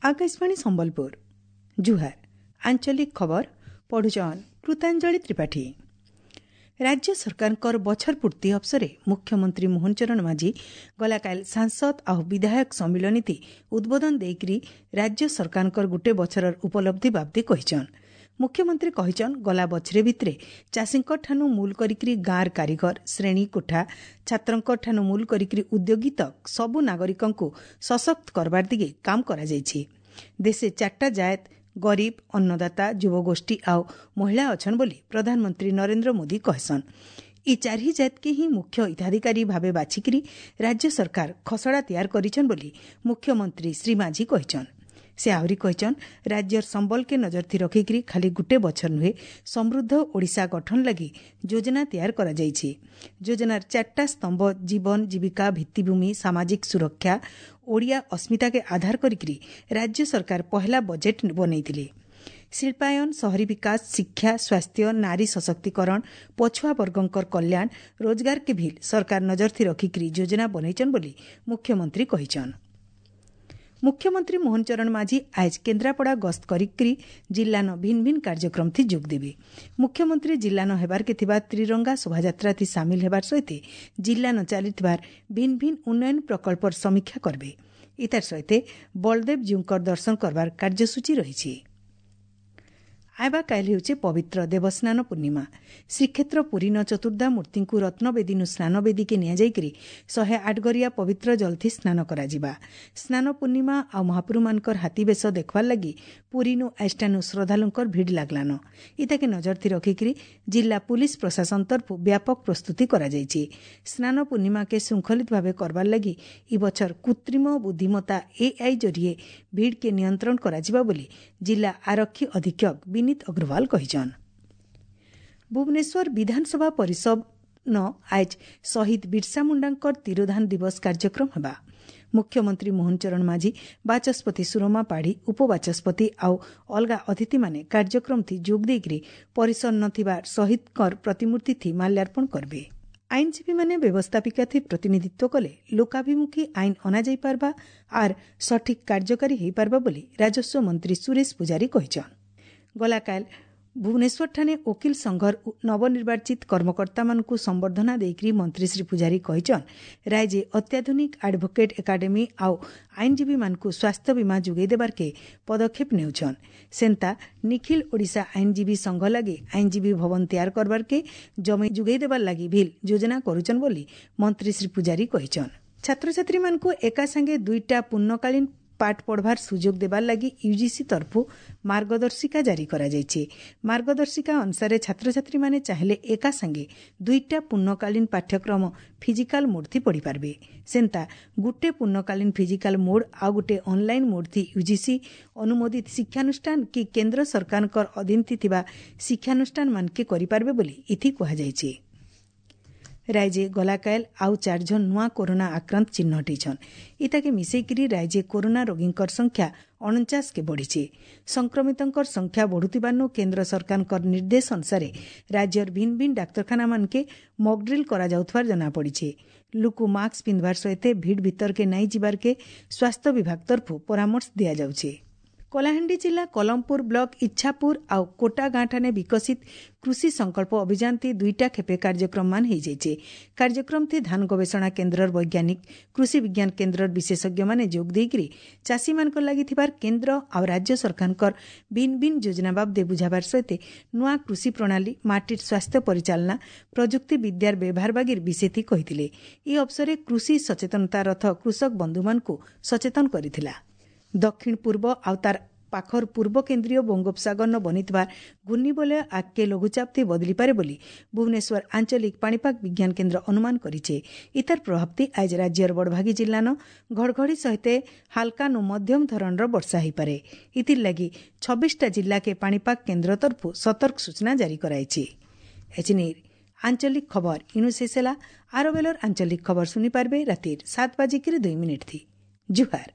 ଆକାଶବାଣୀ ସମ୍ବଲପୁର। ଜୁହାର। ଆଞ୍ଚଳିକ ଖବର ପଢୁଛନ୍ କୃତାଞ୍ଜଳି ତ୍ରିପାଠୀ। ରାଜ୍ୟ ସରକାରଙ୍କର ବଛର ପୂର୍ତ୍ତି ଅବସରେ ମୁଖ୍ୟମନ୍ତ୍ରୀ ମୋହନ ଚରଣ ମାଝୀ ଗଲାକାଲି ସାଂସଦ ଆଉ ବିଧାୟକ ସମ୍ମିଳନୀତି ଉଦ୍ବୋଧନ ଦେଇକରି ରାଜ୍ୟ ସରକାରଙ୍କର ଗୁଟେ ବଛରର ଉପଲବ୍ଧି ବାବଦେ କହିଛନ୍। ମୁଖ୍ୟମନ୍ତ୍ରୀ କହିଛନ୍, ଗଲା ବଛରେ ଭିତରେ ଚାଷୀଙ୍କ ଠାନୁ ମୂଲ କରିକିରି ଗାଁର କାରିଗର, ଶ୍ରେଣୀ କୋଠା, ଛାତ୍ରଙ୍କ ଠାନୁ ମୂଲ କରିକିରି ଉଦ୍ୟୋଗୀ ତକ୍ ସବୁ ନାଗରିକଙ୍କୁ ସଶକ୍ତ କରବାର ଦିଗେ କାମ କରାଯାଇଛି। ଦେଶେ ଚାରିଟା ଜାଏତ ଗରିବ, ଅନ୍ନଦାତା, ଯୁବଗୋଷ୍ଠୀ ଆଉ ମହିଳା ଅଛନ୍ ବୋଲି ପ୍ରଧାନମନ୍ତ୍ରୀ ନରେନ୍ଦ୍ର ମୋଦି କହେସନ୍। ଇ ଚାରି ଜାତକେ ହିଁ ମୁଖ୍ୟ ହିତାଧିକାରୀ ଭାବେ ବାଛିକିରି ରାଜ୍ୟ ସରକାର ଖସଡ଼ା ତିଆର କରିଛନ୍ ବୋଲି ମୁଖ୍ୟମନ୍ତ୍ରୀ ଶ୍ରୀ ମାଝୀ କହିଛନ୍। ସେ ଆହୁରି କହିଛନ୍, ରାଜ୍ୟର ସମ୍ବଲକେ ନଜରଥି ରଖିକିରି ଖାଲି ଗୁଟେ ବଛର ନୁହେଁ, ସମୃଦ୍ଧ ଓଡ଼ିଶା ଗଠନ ଲାଗି ଯୋଜନା ତିଆର କରାଯାଇଛି। ଯୋଜନାର ଚାରିଟା ସ୍ତମ୍ଭ ଜୀବନ ଜୀବିକା, ଭିତ୍ତିଭୂମି, ସାମାଜିକ ସୁରକ୍ଷା, ଓଡ଼ିଆ ଅସ୍ମିତାକେ ଆଧାର କରିକିରି ରାଜ୍ୟ ସରକାର ପହେଲା ବଜେଟ୍ ବନେଇଥିଲେ। ଶିଳ୍ପାୟନ, ସହରୀ ବିକାଶ, ଶିକ୍ଷା, ସ୍ୱାସ୍ଥ୍ୟ, ନାରୀ ସଶକ୍ତିକରଣ, ପଛୁଆ ବର୍ଗଙ୍କର କଲ୍ୟାଣ, ରୋଜଗାରକେ ଭିଲ୍ ସରକାର ନଜରଥି ରଖିକିରି ଯୋଜନା ବନେଇଛନ୍ ବୋଲି ମୁଖ୍ୟମନ୍ତ୍ରୀ କହିଛନ୍। ମୁଖ୍ୟମନ୍ତ୍ରୀ ମୋହନ ଚରଣ ମାଝୀ ଆଜ କେନ୍ଦ୍ରାପଡ଼ା ଗସ୍ତ କରିକି ଜିଲ୍ଲାନ ଭିନ୍ନ ଭିନ୍ନ କାର୍ଯ୍ୟକ୍ରମ ଥି ଯୋଗ ଦେବେ। ମୁଖ୍ୟମନ୍ତ୍ରୀ ଜିଲ୍ଲାନ ହେବାରକେ ଥିବା ତ୍ରିରଙ୍ଗା ଶୋଭାଯାତ୍ରା ଥି ସାମିଲ ହେବାର ସହିତ ଜିଲ୍ଲାନ ଚାଲିଥିବାର ଭିନ୍ନ ଭିନ୍ନ ଉନ୍ନୟନ ପ୍ରକଳ୍ପର ସମୀକ୍ଷା କରିବେ। ଇତାର ସହିତ ବଳଦେବ ଜୀଉଙ୍କର ଦର୍ଶନ କରବାର କାର୍ଯ୍ୟସୂଚୀ ରହିଛି। ଆଇବା କାଲି ହେଉଛି ପବିତ୍ର ଦେବସ୍ନାନ ପୂର୍ଣ୍ଣିମା। ଶ୍ରୀକ୍ଷେତ୍ର ପୁରୀନ ଚତୁର୍ଦ୍ଧା ମୂର୍ତ୍ତିଙ୍କୁ ରତ୍ନବେଦୀନୁ ସ୍ନାନବେଦୀକେ ନିଆଯାଇକରି 108 ଗରିଆ ପବିତ୍ର ଜଳଥି ସ୍ନାନ କରାଯିବା। ସ୍ନାନ ପୂର୍ଣ୍ଣିମା ଆଉ ମହାପ୍ରଭୁମାନଙ୍କର ହାତୀବେଶ ଦେଖବାର୍ ଲାଗି ପୁରୀନୁ ଆଇଷ୍ଟାନୁ ଶ୍ରଦ୍ଧାଳୁଙ୍କର ଭିଡ଼ ଲାଗଲାନ। ଇତାକେ ନଜରଥି ରଖିକରି ଜିଲ୍ଲା ପୁଲିସ ପ୍ରଶାସନ ତରଫୁ ବ୍ୟାପକ ପ୍ରସ୍ତୁତି କରାଯାଇଛି। ସ୍ନାନ ପୂର୍ଣ୍ଣିମାକେ ଶୃଙ୍ଖଳିତ ଭାବେ କରବାର୍ ଲାଗି ଇ ବଛର କୃତ୍ରିମ ବୁଦ୍ଧିମତ୍ତା ଏଆଇ ଜରିଏ ଭିଡ଼କେ ନିୟନ୍ତ୍ରଣ କରାଯିବା ବୋଲି ଜିଲ୍ଲା ଆରକ୍ଷୀ ଅଧୀକ୍ଷକ ବିନୀତ ଅଗ୍ରୱାଲ କହିଛନ୍। ଭୁବନେଶ୍ୱର ବିଧାନସଭା ପରିଷଦ ନ ଆଜ ଶହୀଦ ବିର୍ସା ମୁଣ୍ଡାଙ୍କର ତିରୋଧାନ ଦିବସ କାର୍ଯ୍ୟକ୍ରମ ହେବା। ମୁଖ୍ୟମନ୍ତ୍ରୀ ମୋହନ ଚରଣ ମାଝୀ, ବାଚସ୍ପତି ସୁରମା ପାଢ଼ୀ, ଉପବାଚସ୍ପତି ଆଉ ଅଲଗା ଅତିଥିମାନେ କାର୍ଯ୍ୟକ୍ରମଥି ଯୋଗ ଦେଇକରି ପରିସର ନ ଥିବା ଶହୀଦଙ୍କର ପ୍ରତିମୂର୍ତ୍ତିଥି ମାଲ୍ୟାର୍ପଣ କରିବେ। ଆଇନଜୀବୀମାନେ ବ୍ୟବସ୍ଥାପିକାଥି ପ୍ରତିନିଧିତ୍ୱ କଲେ ଲୋକାଭିମୁଖୀ ଆଇନ ଅଣାଯାଇପାରବା ଆର୍ ସଠିକ୍ କାର୍ଯ୍ୟକାରୀ ହୋଇପାରବା ବୋଲି ରାଜସ୍ୱ ମନ୍ତ୍ରୀ ସୁରେଶ ପୂଜାରୀ କହିଛନ୍। ଗଲାକାଲ ଭୁବନେଶ୍ୱରଠାନେ ଓକିଲ ସଂଘର ନବନିର୍ବାଚିତ କର୍ମକର୍ତ୍ତାମାନଙ୍କୁ ସମ୍ବର୍ଦ୍ଧନା ଦେଇକରି ମନ୍ତ୍ରୀ ଶ୍ରୀ ପୂଜାରୀ କହିଛନ୍, ରାଜ୍ୟ ଅତ୍ୟାଧୁନିକ ଆଡଭୋକେଟ୍ ଏକାଡେମୀ ଆଉ ଆଇନଜୀବୀମାନଙ୍କୁ ସ୍ୱାସ୍ଥ୍ୟ ବୀମା ଯୋଗାଇ ଦେବାର୍କେ ପଦକ୍ଷେପ ନେଉଛନ୍। ସେନ୍ତା ନିଖିଲ ଓଡ଼ିଶା ଆଇନଜୀବୀ ସଂଘ ଲାଗି ଆଇନଜୀବୀ ଭବନ ତିଆର କରବାର୍କେ ଜମି ଯୋଗାଇ ଦେବାର ଲାଗି ଭିଲ୍ ଯୋଜନା କରୁଛନ୍ ବୋଲି ମନ୍ତ୍ରୀ ଶ୍ରୀ ପୂଜାରୀ କହିଛନ୍। ଛାତ୍ରଛାତ୍ରୀମାନଙ୍କୁ ଏକା ସାଙ୍ଗେ ଦୁଇଟା ପୂର୍ଣ୍ଣକାଳୀନ ପାଠ ପଢ଼ବାର ସୁଯୋଗ ଦେବାର ଲାଗି ୟୁଜିସି ତରଫୁ ମାର୍ଗଦର୍ଶିକା ଜାରି କରାଯାଇଛି। ମାର୍ଗଦର୍ଶିକା ଅନୁସାରେ ଛାତ୍ରଛାତ୍ରୀମାନେ ଚାହିଁଲେ ଏକା ସାଙ୍ଗେ ଦୁଇଟା ପୂର୍ଣ୍ଣକାଳୀନ ପାଠ୍ୟକ୍ରମ ଫିଜିକାଲ ମୋଡ୍ ଥି ପଢ଼ିପାରିବେ। ସେନ୍ତା ଗୁଟେ ପୂର୍ଣ୍ଣକାଳୀନ ଫିଜିକାଲ ମୋଡ୍ ଆଉ ଗୁଟେ ଅନଲାଇନ୍ ମୋଡ୍ ଥି ୟୁଜିସି ଅନୁମୋଦିତ ଶିକ୍ଷାନୁଷ୍ଠାନ କି କେନ୍ଦ୍ର ସରକାରଙ୍କର ଅଧୀନ ଥିବା ଶିକ୍ଷାନୁଷ୍ଠାନ ମାନକେ କରିପାରିବେ ବୋଲି ଇଥି କୁହାଯାଇଛି। ରାଜ୍ୟ ଗଲାକାଏଲ ଆଉ ଚାରିଜଣ ନୂଆ କରୋନା ଆକ୍ରାନ୍ତ ଚିହ୍ନଟ ହେଇଛନ୍। ଇତାକେ ମିଶେଇକିରି ରାଜ୍ୟ କରୋନା ରୋଗୀଙ୍କର ସଂଖ୍ୟା 49କେ ବଢ଼ିଛି। ସଂକ୍ରମିତଙ୍କର ସଂଖ୍ୟା ବଢ଼ୁଥିବାରୁ କେନ୍ଦ୍ର ସରକାରଙ୍କର ନିର୍ଦ୍ଦେଶ ଅନୁସାରେ ରାଜ୍ୟର ଭିନ୍ନ ଭିନ୍ନ ଡାକ୍ତରଖାନାମାନକେ ମକଡ୍ରିଲ୍ କରାଯାଉଥିବାର ଜଣାପଡ଼ିଛି। ଲୁକୁ ମାସ୍କ ପିନ୍ଧବାର ସହିତ ଭିଡ଼ ଭିତରକେ ନାଇଁ ଯିବାରକେ ସ୍ୱାସ୍ଥ୍ୟ ବିଭାଗ ତରଫରୁ ପରାମର୍ଶ ଦିଆଯାଉଛି। କଳାହାଣ୍ଡି ଜିଲ୍ଲା କଲମପୁର ବ୍ଲକ ଇଚ୍ଛାପୁର ଆଉ କୋଟା ଗାଁଠାନେ ବିକଶିତ କୃଷି ସଂକଳ୍ପ ଅଭିଯାନତି ଦୁଇଟା ଖେପେ କାର୍ଯ୍ୟକ୍ରମମାନ ହେଇଯାଇଛି। କାର୍ଯ୍ୟକ୍ରମଥି ଧାନ ଗବେଷଣା କେନ୍ଦ୍ରର ବୈଜ୍ଞାନିକ, କୃଷି ବିଜ୍ଞାନ କେନ୍ଦ୍ରର ବିଶେଷଜ୍ଞମାନେ ଯୋଗ ଦେଇକରି ଚାଷୀମାନଙ୍କର ଲାଗି ଥିବାର କେନ୍ଦ୍ର ଆଉ ରାଜ୍ୟ ସରକାରଙ୍କର ଭିନ୍ନ ଭିନ୍ନ ଯୋଜନା ବାବଦେ ବୁଝାବାର ସହିତ ନୂଆ କୃଷି ପ୍ରଣାଳୀ, ମାଟିର ସ୍ୱାସ୍ଥ୍ୟ ପରିଚାଳନା, ପ୍ରଯୁକ୍ତି ବିଦ୍ୟାର ବ୍ୟବହାର ବାଗିର ବିଷୟଥି କହିଥିଲେ। ଏହି ଅବସରରେ କୃଷି ସଚେତନତା ରଥ କୃଷକ ବନ୍ଧୁମାନଙ୍କୁ ସଚେତନ କରିଥିଲା। ଦକ୍ଷିଣ ପୂର୍ବ ଆଉ ତାର ପାଖର ପୂର୍ବ କେନ୍ଦ୍ରୀୟ ବଙ୍ଗୋପସାଗରନ ବନିଥିବା ଘୂର୍ଣ୍ଣିବଳୟ ଆଗକେ ଲଘୁଚାପଥି ବଦଳିପାରେ ବୋଲି ଭୁବନେଶ୍ୱର ଆଞ୍ଚଳିକ ପାଣିପାଗ ବିଜ୍ଞାନ କେନ୍ଦ୍ର ଅନୁମାନ କରିଛେ। ଇତାର ପ୍ରଭାବତି ଆଜ ରାଜ୍ୟର ବଡ଼ଭାଗୀ ଜିଲ୍ଲାନ ଘଡ଼ଘଡ଼ି ସହିତ ହାଲକାନୁ ମଧ୍ୟମ ଧରଣର ବର୍ଷା ହୋଇପାରେ। ଇଥିର୍ ଲାଗି 26ଟା ଜିଲ୍ଲାକେ ପାଣିପାଗ କେନ୍ଦ୍ର ତରଫରୁ ସତର୍କ ସୂଚନା ଜାରି କରାଯାଇଛି। ଏଚିନିର ଆଞ୍ଚଳିକ ଖବର ଇନୁ ଶେଷ ହେଲା। ଆର ବେଲର ଆଞ୍ଚଳିକ ଖବର ଶୁଣିପାରିବେ ରାତିର 7:02 ଥି। ଜୁହାର।